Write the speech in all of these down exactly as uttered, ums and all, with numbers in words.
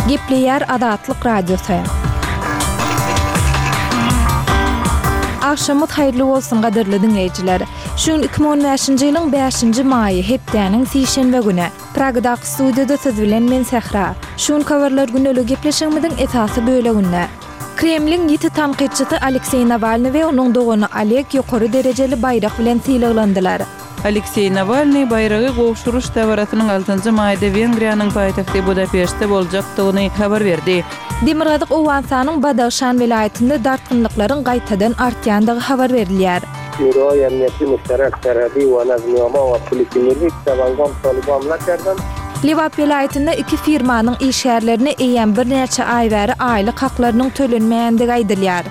Gepleýär Azatlyk Radiosy. Agşamyňyz haýyrly bolsun gadyrly diňleýjiler. Şu gün iki müň on bäşinji ýylyň bäşinji maýy, hepdäniň sişenbe güni. Pragadaky studiýada siz bilen men Sähra. Şu gün habarlar gündelik gepleşigimiziň esasy böleginde. Kremliň ýiti tankytçysy Alekseý Nawalny we onuň dogany Oleg ýokary derejeli baýrak bilen sylaglandylar. Alekseý Nawalny baýragy gowşuryş dabarasynyň altynjy maýda Wengriýanyň paýtagty Budapeştde boljakdygyny habar berdi. Demirgazyk Owganystanyň Badagşan welaýatynda dartgynlyklaryň gaýtadan artýandygy habar berilýär. Şuroý Emniýeti Müşterek Serhedi we Nazmiýama we Polisi Milli Tawangam Talibamla kerdem. Lebap welaýatynda iki firmanyň işgärlerine eýýäm birnäçe aý bäri aýlyk haklarynyň tölenmeýändigi aýdylýar.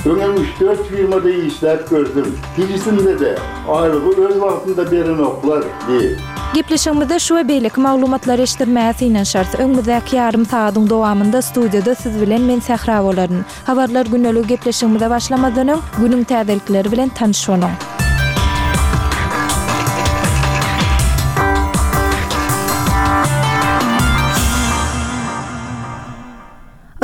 Öňem üç-dört firmada işläp gördüm. Hiçisinde-de aýlygy öz wagtynda berenoklar diýip. Gepleşigimizde şu we beýleki maglumatlary eşitdirmäge synanyşarys. Öňümizdäki ýarym sagadyň dowamynda studiýada siz bilen men Sähra bolaryn. Habarlar gündelik gepleşigimize başlamazdan öň günüň täzelikleri bilen tanyş boluň.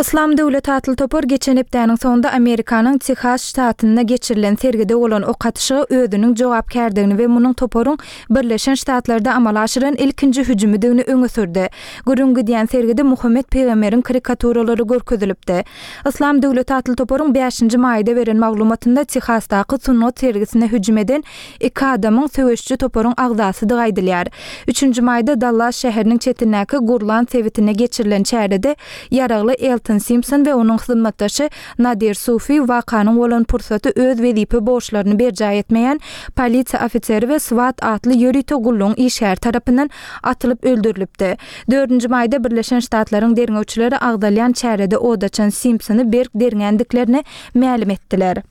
Yslam döwleti atly topar geçen hepdäniň soňunda Amerikanyň Tehas ştatynda geçirilen sergide bolan ok atyşyga özüniň jogapkärdigini we munuň toparyň Birleşen Ştatlarda amala aşyran ilkinji hüjümidigini öňe sürdi. Gürrüň gidýän sergide Muhammet pygamberiň karikaturalary görkezilipdi. Yslam döwleti atly toparyň bäşinji maýda beren maglumatynda Tehasdaky sungat sergisine hüjüm eden iki adamyň söweşçi toparyň agzasydygy aýdylýar. Üçünji maýda Dallas şäheriniň çetindäki Gurlan sebitinde geçirilen çärede ýaragly Elton Simpson we onuň hyzmatdaşy Nadir Sufi wakanyň bolan pursaty öz wezipe borçlaryny berjaý etmeýän polisiýa ofiseri we SWAT atly ýörite gullugyň işgäri tarapyndan atylyp öldürilipdi. Dördünji maýda Birleşen Ştatlaryň derňewçileri agzalýan çärede od açan Simpsony berk derňändiklerini mälim etdiler.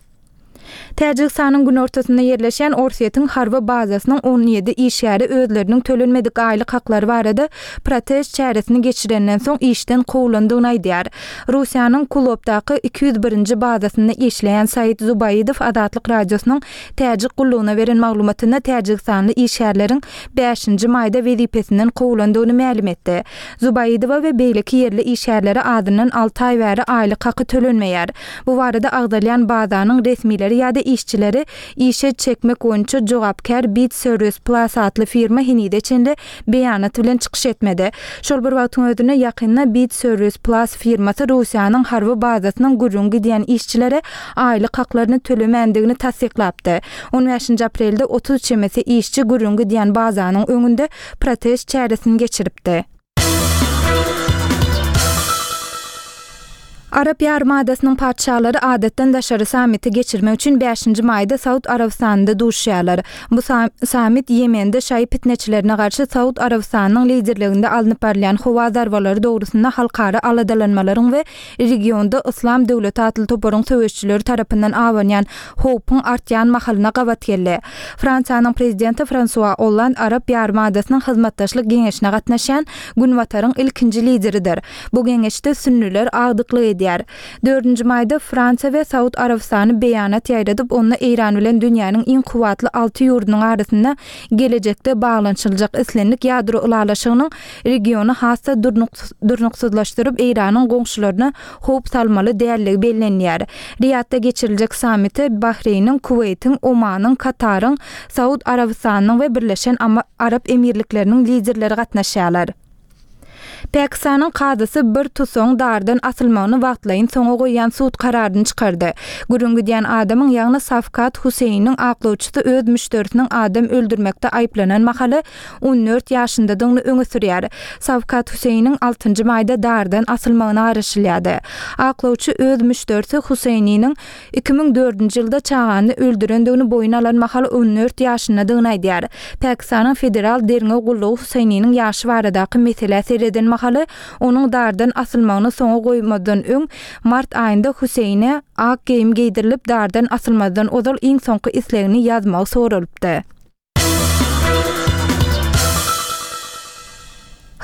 Täjigistanyň günortasynda ýerleşýän Orsýetiň harby bazasynyň on ýedi işgäri özleriniň tölenmedik aýlyk haklary barada protest çäresini geçirenden soň işden kowulandygyny aýdýar. Russiýanyň Kulopdaky iki ýüz birinji bazasynda işleýän Said Zubaýidow Azatlyk Radiosynyň Täjik gullugyna beren maglumatynda Täjigistanly işgärleriň bäşinji maýda wezipesinden kowulandygyny mälim etdi. Zubaýidowa we beýleki ýerli işgärlere azyndan alty aý bäri aýlyk haky tölenmeýär. Bu barada agzalýan bazanyň resmileri ýa-da işçileri işe çekmek boýunça jogapkär Bit Service Plus atly firma henize çenli beýanat bilen çykyş etmedi. Şol bir wagtyň özünde ýakynda Bit Service Plus firmasy Russiýanyň harby bazasynyň gürrüň gidýän işçilere aýlyk haklaryny tölemändigini tassyklapdy. On bäşinji aprelde otuz çemesi işçi gürrüň gidýän bazanyň öňünde protest çäresini geçiripdi. Arap ýarymadasynyň patyşalary adatdan daşary sammiti geçirmek üçin bäşinji maýda Saud Arabystanynda duşýarlar. Bu sammit Ýemende şaýy pitneçilerine garşy Saud Arabystanynyň liderliginde alnyp barylýan howa zarbalary dogrusynda halkara aladalanmalaryň we regionda Yslam döwleti atly toparyň söweşçileri tarapyndan abanýan howpuň artýan mahalyna gabat geldi. Fransiýanyň prezidenti Fransua Olland Arap ýarymadasynyň hyzmatdaşlyk geňeşine gatnaşýan Günbataryň ilkinji lideridir. Bu geňeşde sünnüler agdyklyk edýär. Dördünji maýda Fransiýa we Saud Arabystany beýanat ýaýradyp, onda Eýran bilen dünýäniň iň kuwwatly alty ýurdunyň arasynda gelejekde baglanyşyljak islendik ýadro ylalaşygynyň regiony has-da durnuksyzlaşdyryp, Eýranyň goňşularyna howp salmaly dälligi bellenýär. Riýadda geçiriljek sammite Bahreýniň, Kuweýtiň, Omanyň, Kataryň, Saud Arabystanynyň we Birleşen Arap Emirlikleriniň liderleri gatnaşýarlar. Pakistanyň kazysy bir tusaň dardan asylmagyny wagtlaýyn soňa goýýan sud kararyny çykardy. Gürrüň gidýän adamyň, ýagny Safkat Huseýniň aklawçysy öz müşderisiniň adam öldürmekde aýyplanan mahaly on dört ýaşyndadygyny öňe sürýär. Safkat Huseýniň altynjy maýda dardan asylmagyna garaşylýardy. Aklawçy öz müşderisi Huseýniniň iki müň dördünji ýylda çagany öldürendigini boýun alan mahaly on dört ýaşyndadygyny aýdýar. Pakistanyň federal derňew gullugy Huseýniniň ýaşy baradaky meselä sereden mahaly onuň dardan asylmagyny soňa goýmadan öň mart aýynda Huseýne ak geýim geýdirilip dardan asylmazdan ozal iň soňky islegini ýazmagy soralypdy.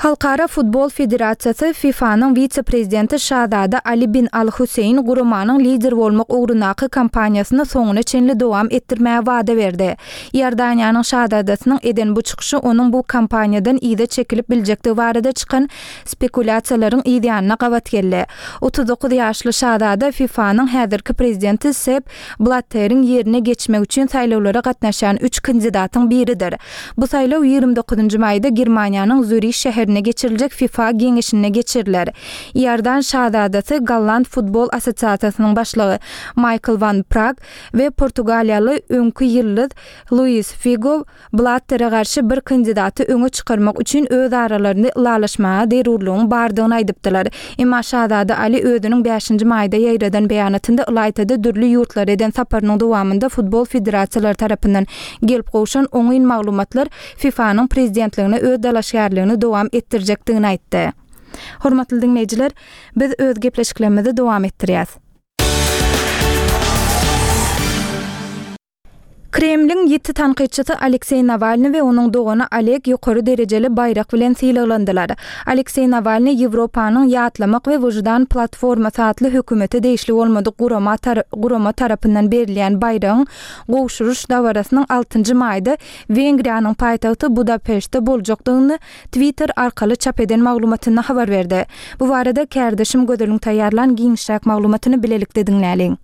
Halkara futbol federasiýasy FIFA-nyň wise-prezidenti Şazada Ali bin Al-Huseýn guramanyň lider bolmak ugrundaky kampaniýasyny soňuna çenli dowam etdirmäge wada berdi. Iordaniýanyň şazadasynyň eden bu çykyşy onuň bu kampaniýadan yza çekilip biljekdigi barada çykan spekulýasiýalaryň yzýanyna gabat geldi. Otuz dokuz ýaşly şazada FIFA-nyň häzirki prezidenti Sepp Blatteriň ýerine geçmek üçin saýlawlara gatnaşýan üç kandidatyň biridir. Bu saýlaw ýigrimi dokuzynjy maýda Germaniýanyň Zürih şäherinde geçiriljek FIFA geňeşinde geçiriler. Iordan şazadasy Golland futbol assosiasiýasynyň başlygy Maýkl Wan Prag we portugaliýaly öňki ýyldyz Luis Figo Blattere garşy bir kandidaty öňe çykarmak üçin öz aralarynda ylalaşmaga zerurlygyň bardygyny aýdypdylar. Emma şazada Ali özüniň bäşinji maýda ýaýradan beýanatynda ylaýta-da dürli ýurtlara eden saparynyň dowamynda futbol federasiýalary tarapyndan gelip gowşan oňyn maglumatlar FIFA-nyň prezidentligine öz dalaşgärligini dowam etdirjekdigini aýtdy. Hormatly diňleýjiler, biz öz gepleşiklerimizi dowam etdirýäs. Kremliň ýiti tankytçysy Alekseý Nawalny we onuň dogany Oleg ýokary derejeli baýrak bilen sylaglandylar. Alekseý Nawalny Ýewropanyň Ýatlamak we wyždan platformasy atly hökümete degişli bolmadyk gurama gurama tarapyndan berilýän baýragyň gowşuryş dabarasynyň altynjy maýda Wengriýanyň paýtagty Budapeştde boljakdygyny Twitter arkaly çap eden maglumatynda habar berdi. Bu barada kärdeşim Gözeliň taýýarlan giňişräk maglumatyny bilelikde diňläliň.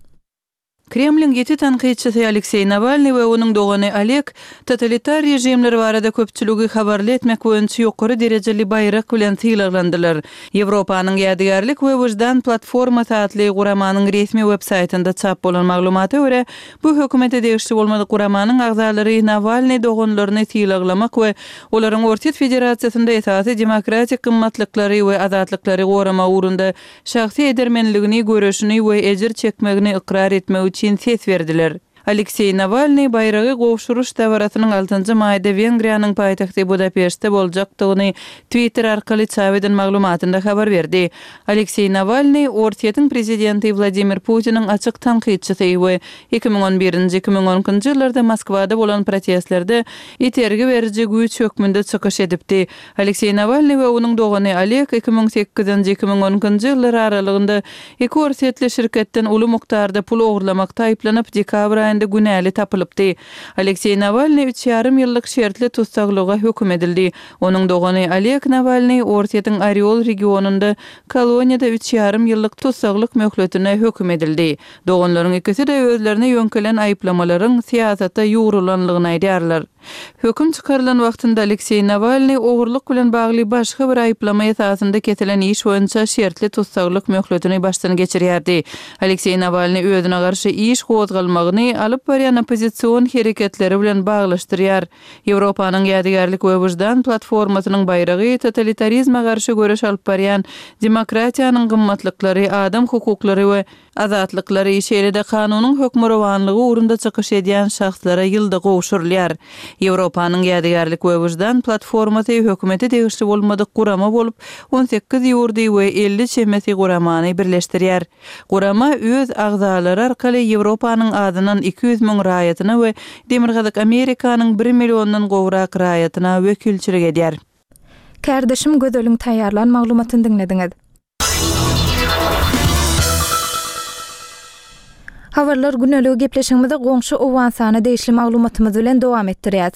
Kremliň ýiti tankytçysy Alekseý Nawalny we onuň dogany Oleg totalitar režimler barada köpçüligi habarly etmek boýunça ýokary derejeli baýrak bilen sylaglandylar. Ýewropanyň Ýadygärlik we wyždan platformasy atly guramanyň resmi web-saýtynda çap bolan maglumata görä, bu hökümete degişli bolmadyk guramanyň agzalary Nawalny doganlaryny sylaglamak we olaryň Orsýet Federasiýasynda esasy demokratik gymmatlyklary we azatlyklary goramak ugrunda şahsy edermenligini, göreşini we ejir çekmegini ykrar etmek üçin ses berdiler. Alekseý Nawalny baýragy gowşuryş dabarasynyň altynjy maýda Wengriýanyň paýtagty Budapeştde boljakdygyny Twitter arkaly çap eden maglumatynda habar berdi. Alekseý Nawalny Orsýetiň prezidenti Wladimir Putiniň açyk tankytçysy we iki müň on birinji, iki müň on ikinji ýyllarda Moskwada bolan protestlerde itergi beriji güýç hökmünde çykyş edipdi. Alekseý Nawalny we onuň dogany Oleg iki müň sekizinji, iki müň on ikinji ýyllar aralygynda iki orsýetli şirketden uly mukdarda pul ogurlamakda aýyplanyp, dekabr aýynda günäli tapylypdy. Alekseý Nawalny üç ýarym ýyllyk şertli tussaglyga höküm edildi. Onuň dogany Oleg Nawalny Orsýetiň Orýol regionynda koloniýada üç ýarym ýyllyk tussaglyk möhletine höküm edildi. Doganlaryň ikisi-de özlerine ýöňkelen aýyplamalaryň syýasata ýugrulanlygyny aýdýarlar. Höküm çykarylan wagtynda Alekseý Nawalny ogurlyk bilen bagly başga bir aýyplama esasynda kesilen iş boýunça şertli tussaglyk möhletini başdan geçirýärdi. Alekseý Nawalny özüne garşy iş gozgalmagyny alyp barýan oppozision hereketleri bilen baglaşdyrýar. Ýewropanyň Ýadygärlik we wyždan platformasynyň baýragy totalitarizme garşy göreş alyp barýan demokratiýanyň gymmatlyklary, adam hukuklary we azatlyklary, şeýle-de kanunyň hökmürowanlygy ugrunda çykyş edýän şahslara ýylda gowşurylýar. Ýewropanyň Ýadygärlik we wyždan platformasy hökümete degişli bolmadyk gurama bolup, on sekiz ýurdy we elli çemesi guramany birleşdirýär. Gurama öz agzalary arkaly Ýewropanyň azyndan iki ýüz müň raýatyna we Demirgazyk Amerikanyň bir milliondan gowrak raýatyna wekilçilik edýär. Kärdeşim Gözeliň taýýarlan maglumatyny diňlediňiz. Habarlar güneligi gepleşigimizi goňşy Owganystana degişli maglumatymyz bilen dowam etdirýäs.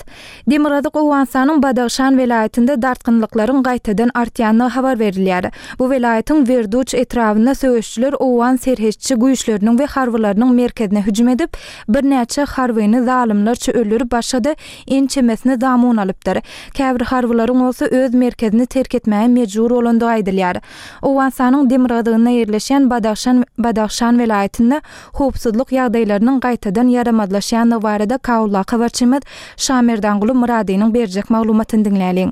Demirgazyk Owganystanyň Badagşan welaýatynda dartgynlyklaryň gaýtadan artýandygy habar berilýär. Bu welaýatyň Werduç etrabynda söweşçiler Owgan serhetçi güýçleriniň we harbylarynyň merkezine hüjüm edip, birnäçe harbyny zalymlarça öldürip, başga-da ençemesini zamun alypdyr. Käbir harbylaryň bolsa öz merkezini terk etmäge mejbur bolandygy aýdylýar. Owganystanyň demirgazygynda ýerleşýän Badagşan, Badagşan welaýatynda howpsuzlyk ýagdaýlarynyň gaýtadan ýaramazlaşýandygy barada Kaullah habarçymyz Şamerdanguly Myradynyň berjek maglumatyny diňläliň.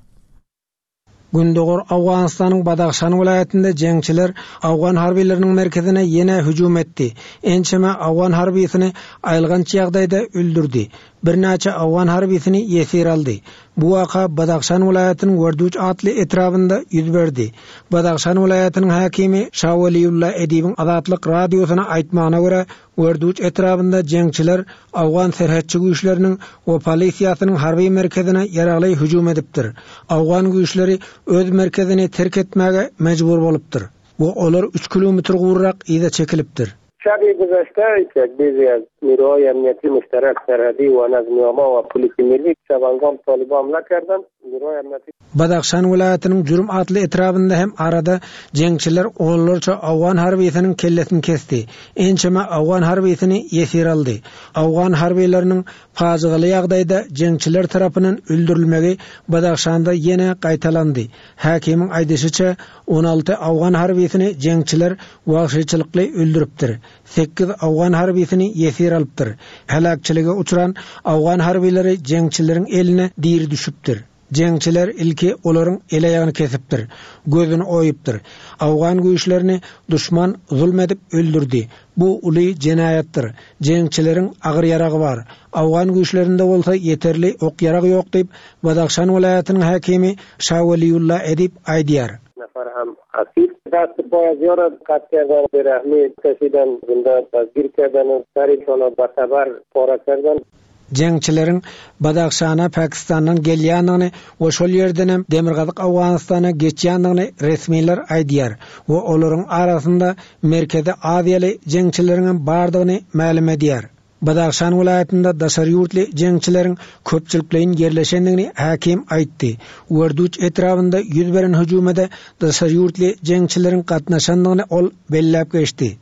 Gündogar Owganystanyň Badagşan welaýatynda jeňçiler Owgan harbylarynyň merkezine ýene hüjüm etdi. Ençeme Owgan harbysyny aýylganç ýagdaýda öldürdi. Birnäçe owgan harbysini ýesir aldy. Bu waka Badahşan welaýatynyň Werduç atly etrabynda ýüz berdi. Badahşan welaýatynyň häkimi Şaweliulla Edibiň Azatlyk Radiosyna aýtmagyna görä, Werduç etrabynda jeňçiler owgan serhetçi güýçleriniň we polisiýasynyň harby merkezine ýaragly hüjüm edipdir. Owgan güýçleri öz merkezini terk etmäge mejbur bolupdyr. We olar üç kilometr gowrak yza çekilipdir. شب گذشته یک بیزی از نیروهای امنیتی مشترک سرحدی و نظمی عامه و پلیس ملی شبانگام طالبان حمله کردند. نیروهای امنیتی Badahşan welaýatynyň Jürüm atly etrabynda hem arada jeňçiler onlarça owgan harbysynyň kellesini kesdi. Ençeme owgan harbysyny ýesir aldy. Owgan harbylarynyň pajygaly ýagdaýda jeňçiler tarapyndan öldürilmegi Badahşanda ýene gaýtalandy. Häkimiň aýdyşyça on alty owgan harbysyny jeňçiler wagşyçylykly öldüripdir. Sekiz owgan harbysyny ýesir alypdyr. Heläkçilige uçran owgan harbylary jeňçileriň eline diri düşüpdir. Jeňçiler ilki olaryň el aýagyny kesipdir, gözüni oýupdyr. Owgan güýçlerini duşman zulm edip öldürdi. Bu uly jenaýatdyr. Jeňçileriň agyr ýaragy bar. Owgan güýçlerinde bolsa ýeterli ok ýaragy ýok diýip Badahşan welaýatynyň häkimi Şaweliulla Edip aýdýar. Nefar hem asir دست پای از یارا قطع کردن، به رحمی کشیدن، زنده دستگیر کردن، سرشان را به تبر پاره کردن. Jeňçileriň Badahşana Pakistandan gelýändigini we şol ýerden hem Demirgazyk Owganystana geçýändigini resmiler aýdýar we olaryň arasynda Merkezi Aziýaly jeňçileriň hem bardygyny mälim edýär. Badahşan welaýatynda daşary ýurtly jeňçileriň köpçülikleýin ýerleşendigini häkim aýtdy. Werduç etrabynda ýüz beren hüjümede daşary ýurtly jeňçileriň gatnaşandygyny ol belläp geçdi.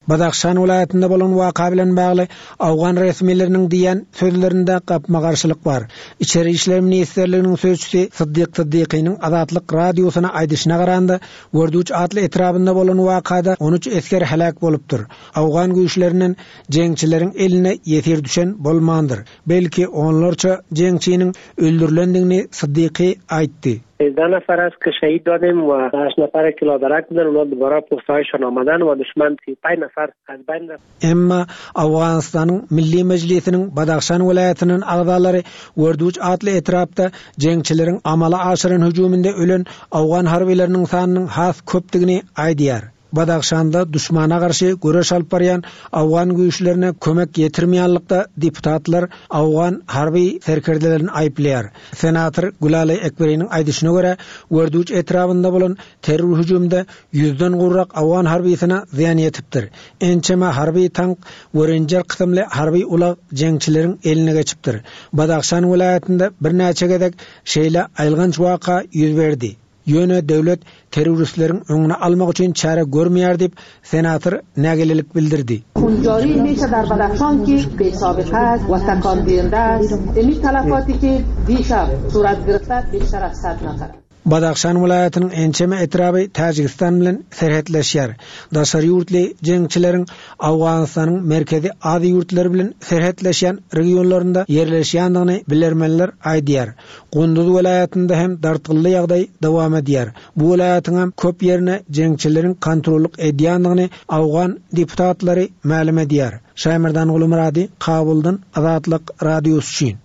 Badahşan welaýatynda bolan waka bilen bagly Owgan resmileriniň diýen sözlerinde gapma-garşylyk bar. Içeri İşler Ministrliginiň sözçüsi Siddiq Siddiqiniň Azatlyk radiosyna aýdyşyna garanda, Werduç atly etrabynda bolan wakada on üç esger heläk bolupdyr. Owgan güýçlerinden jeňçileriň eline ýesir düşen bolmandyr. Belki onlarça jeňçiniň öldürilendigini Siddiqi aýtdy. سیزده نفر است که شهید دادیم و هشت نفر که لادرک بودن، اونا دوباره پستهایشان آمدن و دشمن سی و پنج نفر از بین رفت. Emma Owganystanyň Milli Mejlisiniň Badahşan welaýatynyň agzalary Werduç atly etrapda jeňçileriň amala aşyran hüjüminde ölen Owgan harbylarynyň sanynyň has köpdügini aýdýar. Badahşanda duşmana garşy göreş alyp barýan Owgan güýçlerine kömek ýetirmeýänlikde deputatlar Owgan harby serkerdelerini aýyplaýar. Senator Gülali Ekberiniň aýdyşyna görä, Werduç etrabynda bolan terror hüjüminde ýüzden gowrak Owgan harbysyna zyýan ýetipdir. Ençeme harby tank we renjer kysymly harby ulag jeňçileriň eline geçipdir. Badahşan welaýatynda birnäçe gezek şeýle aýylganç waka ýüz berdi. Ýöne döwlet terroristleriň öňüni almak üçin çäre görmeýär diýip senator nägilelik bildirdi. Khunjari meşe dar Badahşan ki besabiqa است و تکان دهنده است. این تلفاتی که دیشب صورت گرفته بیشتر از صد نفر. Badahşan welaýatynyň ençeme etraby Täjigistan bilen serhetleşýär. Daşary ýurtly jeňçileriň Owganystanyň merkezi Aziýa ýurtlary bilen serhetleşýän regionlarynda ýerleşýändigini bilermenler aýdýar. Gunduz welaýatynda hem dartgynly ýagdaý dowam edýär. Bu welaýatyň hem köp ýerine jeňçileriň kontrollyk edýändigini Owgan deputatlary mälim edýär. Şaýmerdan Gulumurady, Kabuldan Azatlyk Radiosy üçin.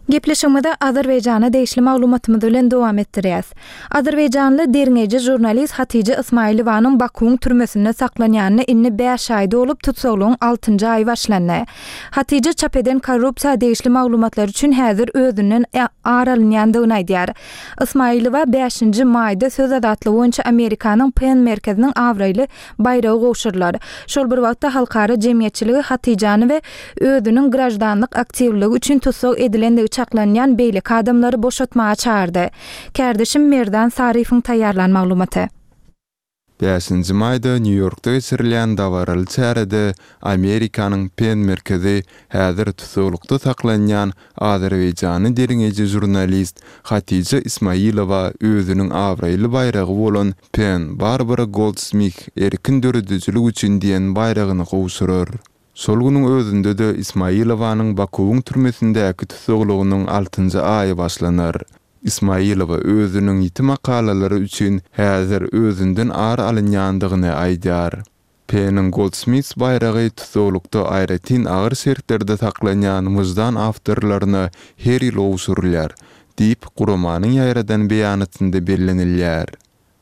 Gepleşigimizi Azerbaýjana degişli maglumatymyz bilen dowam etdirýäs. Azerbaýjanly derňeýji jurnalist Hatija Ismailowanyň Bakuň türmesinde saklanýanyna indi bäş aý dolup tutsaglygyň altynjy aýy başlandy. Hatija çap eden korrupsiýa degişli maglumatlar üçin häzir özünden ar alynýandygyny aýdýar. Ismailowa bäşinji maýda söz azatlygy boýunça Amerikanyň PEN merkeziniň abraýly baýragy gowşurylar. Şol bir wagtda halkara jemgyýetçiligi Hatijany we özüniň grajdanlyk aktiwligi üçin tutsag edilendigi çaklanýan beýleki adamlary boşatmaga çağırdy. Kärdeşim Merdan Saryfyň taýýarlan maglumaty. Bäşinji maýda Nýu-Ýorkda geçirilýän dabaraly çärede Amerikanyň PEN merkezi häzir tutsaglykda saklanýan Azerbaýjany derňeýji jurnalist Hatija Ismailowa özüniň abraýly baýragy bolan PEN Barbara Goldsmith erkin döredijilik üçin diýen baýragyny gowşurar. Şol günüň özünde de Ismailowanyň Bakuwyň türmesindäki tutsaglygynyň altynjy aýy başlanar. Ismaýylowa özüniň ýiti makalalary üçin häzir özünden ar alynýandygyny aýdýar. PEN-iň Goldsmiths baýragy tussaglykda aýratyn agyr şertlerde saklanýan wyždan awtorlaryna her ýyl gowşurylýar, diýip, guramanyň ýaýradan beýanatynda bellenilýär.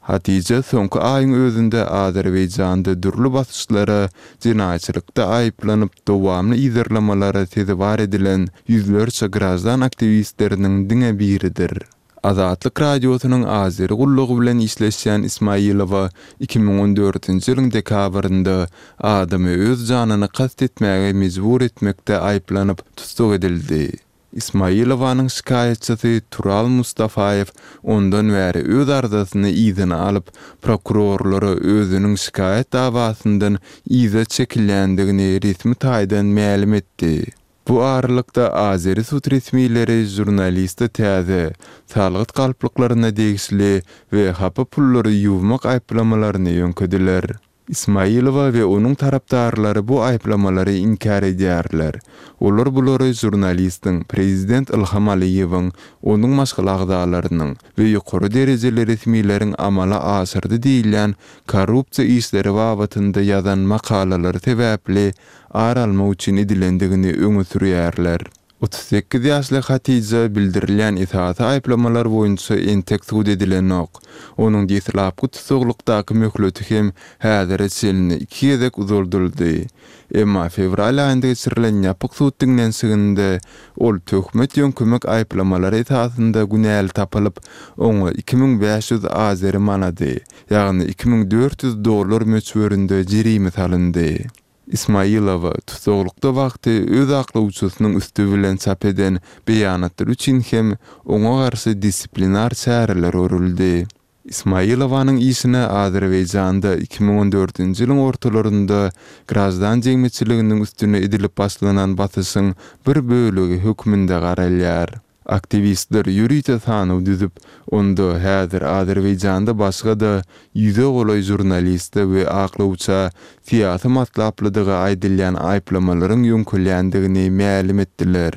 Hatija soňky aýyň özünde Azerbaýjanda dürli basyşlara, jenaýatçylykda aýyplanyp, dowamly yzarlamalara sezewar edilen ýüzlerçe graždan aktiwistleriniň diňe biridir. Azatlyk Radiosynyň Azeri gullugy bilen işleşýän Ismaýylowa iki müň on dördünji ýylyň dekabrynda adamy öz janyna kast etmäge mejbur etmekde aýyplanyp tussag edildi. Ismaýylowanyň şikaýatçysy Tural Mustafaýew ondan bäri öz arzasyny yzyna alyp, prokurorlara özüniň şikaýat dawasyndan yza çekilýändigini resmi taýdan mälim etdi. Bu aralykda azeri sud resmileri žurnaliste täze, salgyt galplyklaryna degişli we hapa pullary ýuwmak aýyplamalaryny ýöňkediler. Ismaýylowa we onuň tarapdarlary bu aýyplamalary inkär edýärler. Olar bulary žurnalistiň prezident Ilham Aliýewiň, onuň maşgala agzalarynyň we ýokary derejeli resmileriň amala aşyrdy diýilýän korrupsiýa işleri babatynda ýazan makalalary sebäpli ar almak üçin edilendigini öňe sürýärler. Otuz sekiz ýaşly Hatija bildirilýän esasy aýyplamalar boýunça entek sud edilenok. Onuň deslapky tussaglykdaky möhleti hem häzire çenli iki gezek uzaldyldy. Emma fewral aýynda geçirilen ýapyk sud diňlenişiginde ol töhmet ýöňkemek aýyplamalary esasynda günäli tapylyp, oňa iki müň bäş ýüz azeri manady, ýagny iki müň dört ýüz dollar möçberinde jerime salyndy. Ismaýylowa tussaglykda wagty öz aklawçysynyň üsti bilen çap eden beýanatlar üçin hem oňa garşy disiplinar çäreler görüldi. Ismaýylowanyň işine Azerbaýjanda iki müň on dördünji ýylyň ortalarynda graždan jemgyýetçiliginiň üstüne edilip başlanan basyşyň bir bölegi hökmünde garalýar. Aktiwistler ýörite sanaw düzüp, onda häzir Azerbaýjanda başga-da ýüze golaý žurnaliste we aklawça syýasy matlaplydygy aýdylýan aýyplamalaryň ýöňkülýändigini mälim etdiler.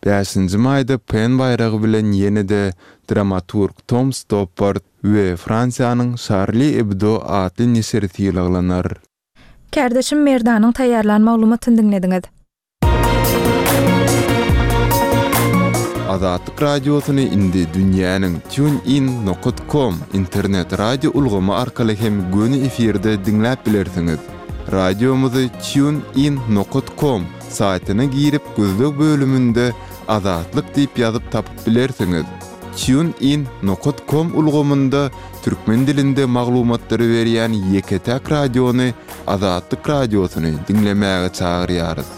Bäşinji maýda PEN baýragy bilen ýene-de dramaturg Tom Stoppard we Fransiýanyň Charlie Hebdo atly neşiri sylaglanar. Kärdeşim Merdanyň taýýarlan maglumatyny diňlediňiz. Azatlyk Radiosyny indi dünýäniň TuneIn nokta com internet radio ulgamy arkaly hem göni efirde diňläp bilersiňiz. Radiomyzy TuneIn nokta com saýtyna girip gözleg bölüminde Azatlyk diýip ýazyp tapyp bilersiňiz. TuneIn nokta com ulgamynda türkmen dilinde maglumatlary berýän ýeke-täk radiony Azatlyk Radiosyny diňlemäge çagyrýarys.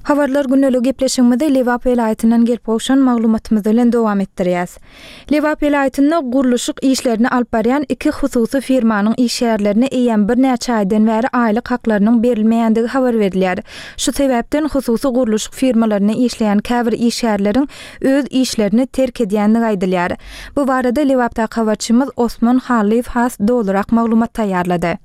Habarlar günlük gepleşigimizi Lebap welaýatyndan gelip gowşan maglumatymyz bilen dowam etdirýäs. Lebap welaýatynda gurluşyk işlerini alyp barýan iki hususy firmanyň işgärlerine eýýäm birnäçe aýdan bäri aýlyk haklarynyň berilmeýändigi habar berilýär. Şu sebäpden hususy gurluşyk firmalarynda işleýän käbir işgärleriň öz işlerini terk edýändigi aýdylýar. Bu barada Lebapdaky habarçymyz Osman Hallyýew has dolurak maglumat taýýarlady.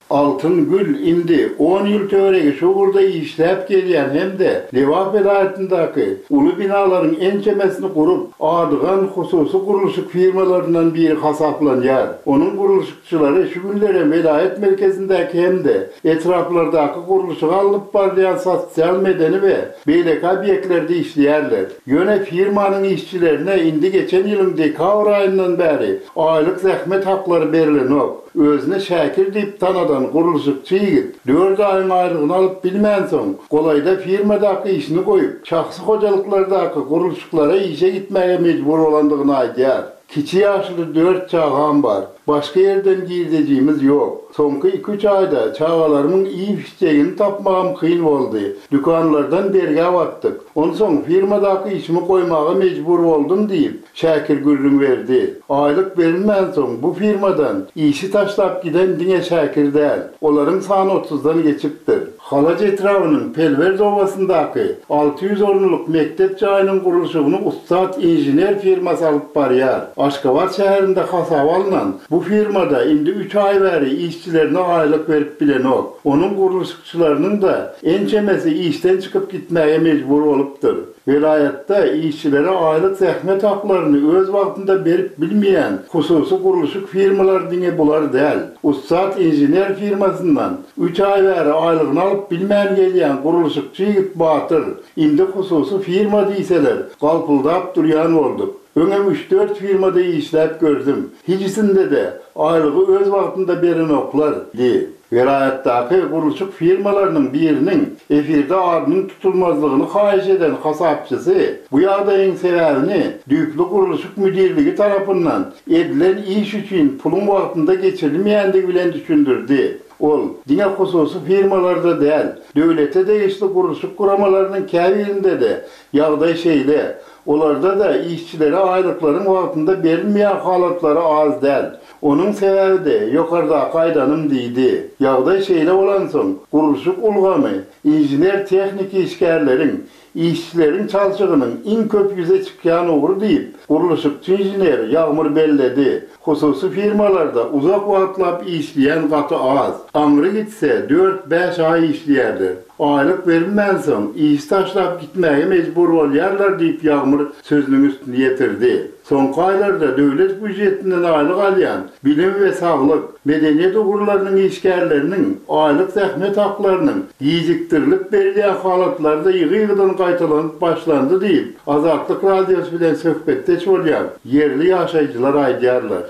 Altyn Gül indi on ýyl töweregi şu ugurda işläp gelýän hem-de Lebap welaýatyndaky uly binalaryň ençemesini gurup, adygan hususy gurluşyk firmalaryndan biri hasaplanýar. Onuň gurluşykçylary şu günlere welaýat merkezindäki hem-de etraplardaky gurluşyga alnyp barylýan sosial medeni we beýleki obýektlerde işleýärler. Ýöne firmanyň işçilerine indi geçen ýylyň dekabr aýyndan bäri aýlyk zähmet haklary berilenok. Özüne Şakir diýip tanadan gurluşykçy ýigit dört aýyň aýlygyny alyp bilmänsoň, golaýda firmadaky işini goýup, şahsy hojalyklardaky gurluşyklara işe gitmäge mejbur bolandygyny aýdýar. Kiçi ýaşly dört çagam bar. Başga ýerden girdejimiz ýok. Soňky iki-üç aýda çagalarymyň iýip içjegini tapmagam kyn boldy. Dükanlardan bergä batdyk. Onsoň firmadaky işimi goýmaga mejbur boldum diýip, Şakir gürrüň berdi. Aýlyk berilmänsoň bu firmadan işi taşlap giden diňe Şakir däl. Olaryň sany otuzdan geçipdir. Halaç etrabynyň Pelwert obasyndaky alty ýüz orunlyk mekdep jaýynyň gurluşygyny ussat inžener firmasy alyp barýar. Aşgabat şäherinde hasaba alnan Bu firmada indi üç aý bäri işçilerine aýlyk berip bilenok. Onuň gurluşykçylarynyň-da ençemesi işden çykyp gitmäge mejbur bolupdyr. Welaýatda işçilere aýlyk zähmet haklaryny öz wagtynda berip bilmeýän hususy gurluşyk firmalary diňe bular däl. Ussat inžener firmasyndan üç aý bäri aýlygyny alyp bilmän gelýän gurluşykçy ýigit Batyr, indi hususy firma diýseler, galpyldap durýan bolduk. Öňem üç-dört firmada işläp gördüm. Hiçisinde-de aýlygy öz wagtynda berenoklar, diýdi. Welaýatdaky gurluşyk firmalarynyň biriniň efirde adynyň tutulmazlygyny haýyş eden hasapçysy bu ýagdaýyň sebäbini düýpli gurluşyk müdirligi tarapyndan edilen iş üçin puluň wagtynda geçirilmeýändigi bilen düşündirdi. Ol, diňe hususy firmalarda däl, döwlete degişli gurluşyk guramalarynyň käbirinde-de ýagdaý şeýle. Olarda-da işçilere aýlyklaryň wagtynda berilmeýän halatlary az däl. Onuň sebäbi-de ýokardaky aýdanym diýdi. Ýagdaý şeýle bolansoň, gurluşyk ulgamy inžener-tehniki işgärleriň, işçileriň çalşygynyň iň köp ýüze çykýan ugry diýip, gurluşykçy inžener Ýagmyr belledi. Hususy firmalarda uzak wagtlap işleýän gaty az. Aňry gitse dört-bäş aý işleýärler. Aýlyk berilmänsoň, işi taşlap gitmäge mejbur bolýarlar diýip Ýagmyr sözüniň üstüni ýetirdi. Soňky aýlarda döwlet býujetinden aýlyk alýan bilim we saglyk, medeniýet ugurlarynyň işgärleriniň aýlyk zähmet haklarynyň gijikdirilip berilýän halatlary-da ýygy-ýygydan gaýtalanyp başlandy diýip, Azatlyk Radiosy bilen söhbetdeş bolýan ýerli ýaşaýjylar aýdýarlar.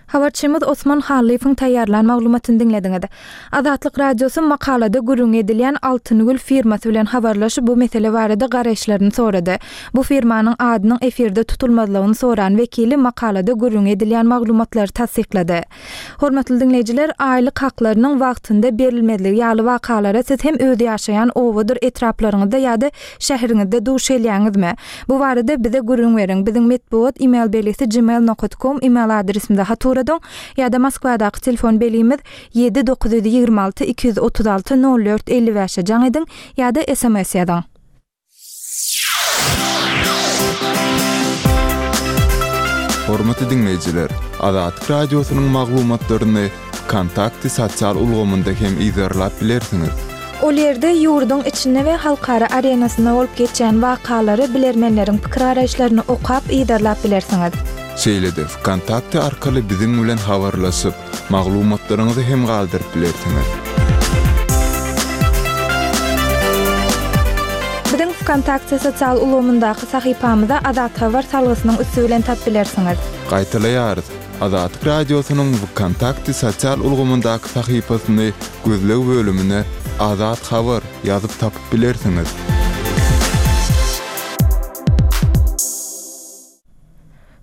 Habarçymyz Osman Hallyýewiň taýýarlan maglumatyny diňlediňiz. Azatlyk Radiosy makalada gürrüňi edilýän Altyngül firmasy bilen habarlaşyp, bu mesele barada garaýyşlaryny sorady. Bu firmanyň adynyň efirde tutulmazlygyny soran wekili makalada gürrüňi edilýän maglumatlary tassyklady. Hormatly diňleýjiler, aýlyk haklarynyň wagtynda berilmezligi ýaly wakalara siz hem öz ýaşaýan obadyr etraplaryňyzda ýa-da şäheriňizde duş gelýäňizmi? Bu barada bize gürrüň beriň. Biziň metbugat email belgisi gmail nokat com email adresimize hat ugradyň ýa-da Moskwadaky telefon belgimiz ýedi dokuz ýüz ýigrimi alty iki ýüz otuz alty nol dört elli bäşe jaň ediň ýa-da sms ýazyň. Hormatly diňleýjiler, Azatlyk Radiosynyň maglumatlaryny Wkontakte sosial ulgamynda hem yzarlap bilersiňiz. Ol ýerde ýurduň içinde we halkara arenasynda bolup geçýän wakalary, bilermenleriň pikir-garaýyşlaryny okap, yzarlap bilersiňiz. Şeýle-de Wkontakte arkaly biziň bilen habarlaşyp, maglumatlaryňyzy hem galdyryp bilersiňiz. Biziň Wkontakte sosial ulgamyndaky sahypamyza Azat Habar salgysynyň üsti bilen tap bilersiňiz. Gaýtalaýarys. Azatlyk Radiosynyň Wkontakte sosial ulgamyndaky sahypasyny gözleg bölümine Azat Habar ýazyp tapyp bilersiňiz.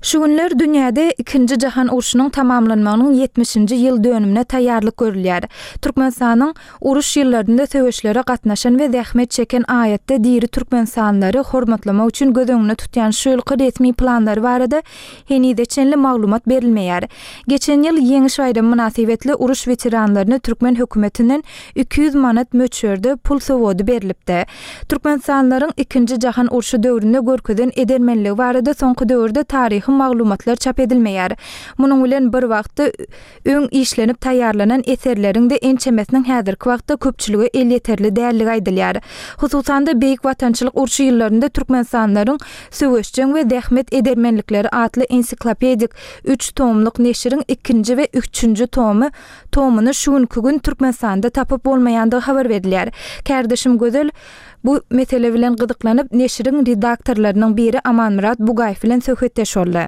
Şu günler dünýäde ikinji jahan urşunyň tamamlanmagynyň ýetmişinji ýyl dönümine taýýarlyk görülýär. Türkmenistanyň uruş ýyllarynda söweşlere gatnaşan we zähmet çeken aýatda diri türkmenistanlylary hormatlamak üçin göz öňünde tutýan şu ýylky resmi planlary barada henize çenli maglumat berilmeýär. Geçen ýyl Ýeňiş baýramy mynasybetli uruş weteranlaryna türkmen hökümetinden iki ýüz manat möçberde pul sowgady berlipdi. Türkmenistanlylaryň ikinji jahan urşy döwründe görkezen edermenligi barada soňky döwürde taryhy maglumatlar çap edilmeýär. Munuň bilen bir wagtda öň işlenip taýýarlanan eserleriň-de ençemesiniň häzirki wagtda köpçülige elýeterli dälligi aýdylýar. Hususan-da Beýik Watançylyk urşy ýyllarynda Türkmenistanlylaryň söweşjeň we zähmet edermenlikleri atly ensiklopedik üç tomluk neşiriň ikinji we üçünji tomy tomunu şu günki gün Türkmenistanda tapyp bolmaýandygy habar berilýär. Kärdeşim Gözel bu mesele bilen gyzyklanyp neşiriň redaktorlarynyň biri Amanmyrat Bugaýew bilen söhbetdeş boldy.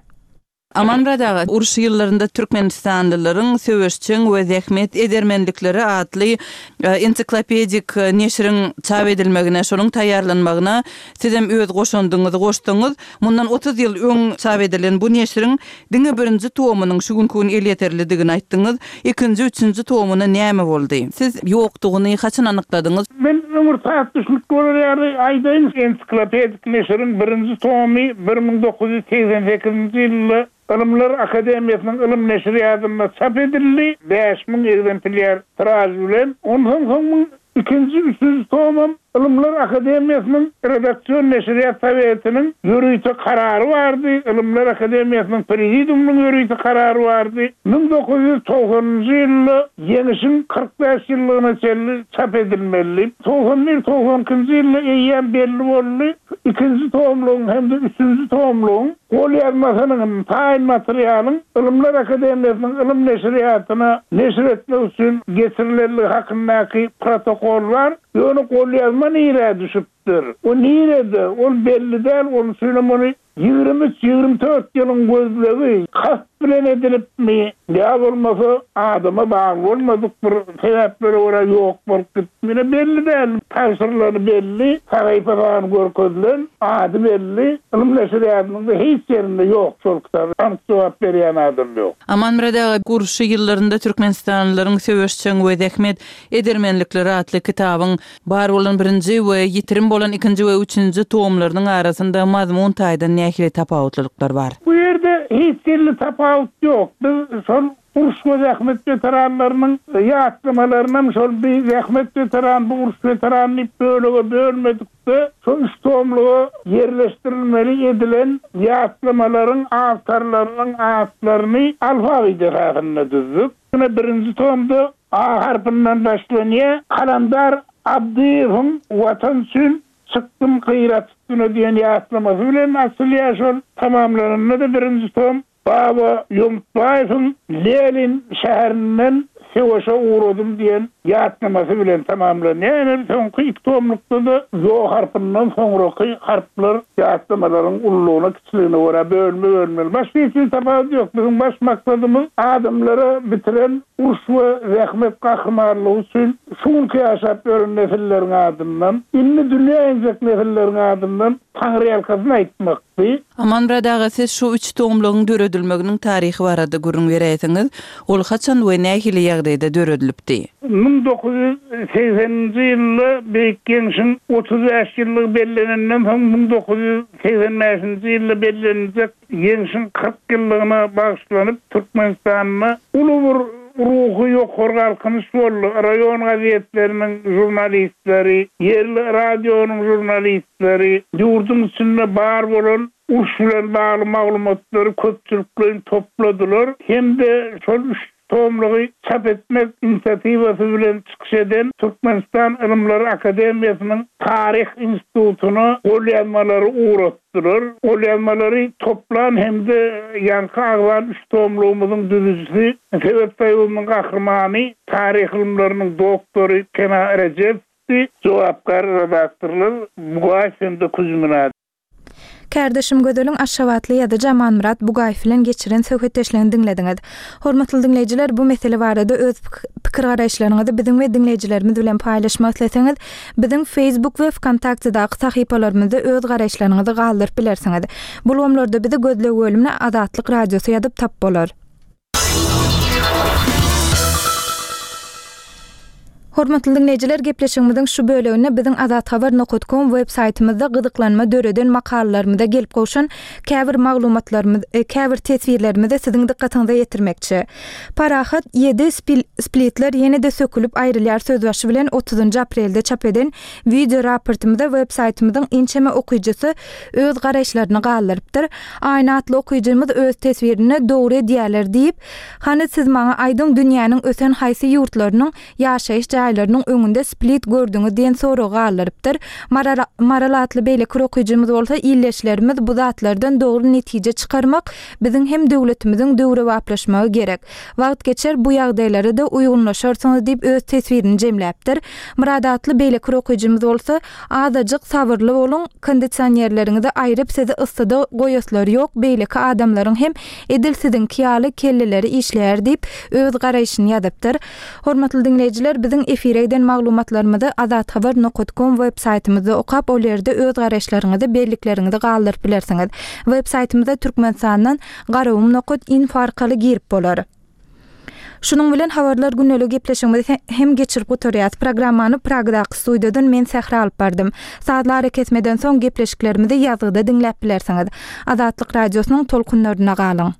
Amanmyrat aga, uruş ýyllarynda Türkmenistanlylaryň söweşjeň we zähmet edermenlikleri atly, e, ensiklopedik neşiriň çap edilmegine, şonuň taýýarlanmagyna sizem öz goşandyňyzy goşduňyz. Mundan otuz ýyl öň çap edilen bu neşiriň diňe birinji tomunyň şu günki gün elýeterlidigini aýtdyňyz. Ikinji, üçünji tomuna näme boldy? Siz ýokdugyny haçan anykladyňyz? Men ömür saat düşnük bolar ýaly aýdaýyn, ensiklopedik neşiriň birinji tomy bir müň dokuz ýüz segsen sekizinji ýylda Ylymlar Akademiýasynyň ylym neşirýatynda çap edildi, bäş müň egzemplýar tiraj bilen. Ondan soň ikinji, üçünji tomam Ylymlar Akademiýasynyň redaksion neşirýat sowetiniň ýörite karary bardy, Ylymlar Akademiýasynyň prezidiumynyň ýörite karary bardy. Müň dokuz ýüz togsanynjy ýylda Ýeňişiň kyrk bäş ýyllygyna çenli çap edilmeli. Togsan bir, togsan ikinji ýylda eýýäm belli boldy, ikinji tomlugyň hem-de üçünji tomlugyň golýazmasynyň, taýyn materialyň Ylymlar Akademiýasynyň ylym neşirýatyna neşir etmek üçin geçirilenligi hakyndaky protokol bar. Ýöne golýazma nirä düşüpdir? O nirede? Ol belli däl, onuň üçinem ony ýigrimi üç, ýigrimi dört ýylyň gözlegi kast bilen edilipmi, ýa bolmasa adama bagly bolmadyk bir sebäplere görä ýok bolup gitdimi, ine belli däl. Tabşyrylany belli, sahypa sany görkezilen, ady belli, ylym neşirýatynyň-da hiç ýerinde ýok şol kitap, anyk jogap berýän adam ýok. Amanmyrat aga, uruş ýyllarynda türkmenistanlylaryň söweşjeň we zähmet edermenlikleri atly kitabyň bar bolan birinji we ýitirim bolan ikinji we üçünji tomlarynyň arasynda mazmun taýdan nähili tapawutlylyklar bar? Bu ýerde hiç hili tapawut ýok. Biz şol uruş we zähmet weteranlarynyň ýatlamalaryny şol bir zähmet weteran, bu uruş weterany diýip bölege bölmedik-de, şol üç tomluga ýerleşdirilmeli edilen ýatlamalaryň awtorlarynyň atlaryny alfabet esasynda düzdük. Ine birinji tomda A harpyndan başlanýar. Kalandar Abdyýewiň Watan üçin çykdym gyrat üstüne diýen ýatlamasy bilen açylýar şol. Tamamlananda-da birinji tom Baba Ýomutbaýewiň Lenin şäherinden söweşe ugradym diýen ýatlamasy bilen tamamlanýar. Ýöne soňky iki tomlukda-da Ýo harpyndan soňraky harplar ýatlamalaryň ululygyna, kiçiligine görä bölme-bölmeli. Başga hiç hili tapawut ýok. Biziň baş maksadymyz adamlara bitiren uruş we zähmet gahrymanlygy üçin şu günki ýaşap ýören nesilleriň adyndan, indi dünýä injek nesilleriň adyndan Taňryýalkasyn aýtmakdy. Amanmyrat aga, siz şu üç tomlugyň döredilmeginiň taryhy barada gürrüň beräýseňiz, ol haçan we nähili ýagdaýda döredilipdi? Müň dokuz ýüz segseninji ýylda Beýik Ýeňşiň otuz bäş ýyllygy bellenenden soň müň dokuz ýüz segsen bäşinji ýylda belleniljek Ýeňşiň kyrk ýyllygyna bagyşlanyp Türkmenistanda uly bir ruhy ýokary galkynyş boldy. Raýon gazetleriniň žurnalistleri, ýerli radionyň žurnalistleri ýurduň içinde bar bolan uruş bilen bagly maglumatlary köpçülikleýin topladylar hem-de şol üç tomlugy çap etmek inisiatiwasy bilen çykyş eden Türkmenistan Ylymlar Akademiýasynyň Taryh institutyna golýazmalary ugratdylar. Golýazmalary toplan hem-de ýaňky agzan üç tomlugymyzyň düzüjisi Sowet Soýuzynyň gahrymany, taryh ylymlarynyň doktory Pena Rejepowdy, jogapkär redaktorlar Bugaýew hem-de Kuzmina. Kärdeşim Gözeliň Aşgabatly ýazyjy Amanmyrat Bugaýew bilen geçiren söhbetdeşligini diňlediňiz. Hormatly diňleýjiler, bu mesele barada öz pikir garaýyşlaryňyzy biziň we diňleýjilerimiz bilen paýlaşmak isleseňiz, biziň Facebook we VKontaktedaky sahypalarymyzda öz garaýyşlaryňyzy galdyryp bilersiňiz. Bu ulgamlarda bizi gözleg bölümine Azatlyk Radiosy ýazyp tap bolar. Hormatly diňleýjiler, gepleşigimiziň şu böleginde biziň azathabar nokta com web saýtymyzda gyzyklanma döreden makalalarymyza gelip gowşan käbir maglumatlarymyz, e, käbir teswirlerimizi siziň dykgatyňyza ýetirmekçi. Parahat ýedi splitler ýene-de sökülip aýrylýar sözbaşy bilen otuzynjy aprelde çap eden video raportymyzda web saýtymyzyň inçeme okyjysy öz garaýyşlaryny galdyrypdyr. Aýna atly okyjymyz öz teswirinde dogry edýärler diýip, hany siz maňa aýdyň dünýäniň ösen haýsy ýurtlarynyň ýaşaýyş jaýlarynyň öňünde split gördüňiz diýen soragy galdyrypdyr. Maral, Maral atly beýleki okyjymyz bolsa illeşlerimiz bu zatlardan dogry netije çykarmak biziň hem döwletimiziň döwrebaplaşmagy gerek. Wagt geçer bu ýagdaýlara da uýgunlaşarsyňyz diýip öz teswirini jemläpdir. Murad atly beýleki okyjymyz bolsa azajyk sabyrly boluň, kondisionerleriňizi aýryp sizi yssyda goýaslary ýok, beýleki adamlaryň hem edil siziňki ýaly kelleleri işleýär diýip öz garaýşyny ýazypdyr. Hormatly diňleýjiler, biziň efire giden maglumatlarymyzy azathabar nokta com web saýtymyzda okap, ol ýerde öz garaýyşlaryňyzy, bellikleriňizi galdyryp bilersiňiz. Web saýtymyza Türkmenistandan garawum nokta info arkaly girip bolar. Şunuň bilen habarlar gündelik gepleşigimizi hem geçirip gutarýas. Programmany Pragdaky studiýadan men Sähra alyp bardym. Sazlar kesmeden soň gepleşiklerimizi ýazgyda diňläp bilersiňiz. Azatlyk radiosynyň tolkunlaryna galyň.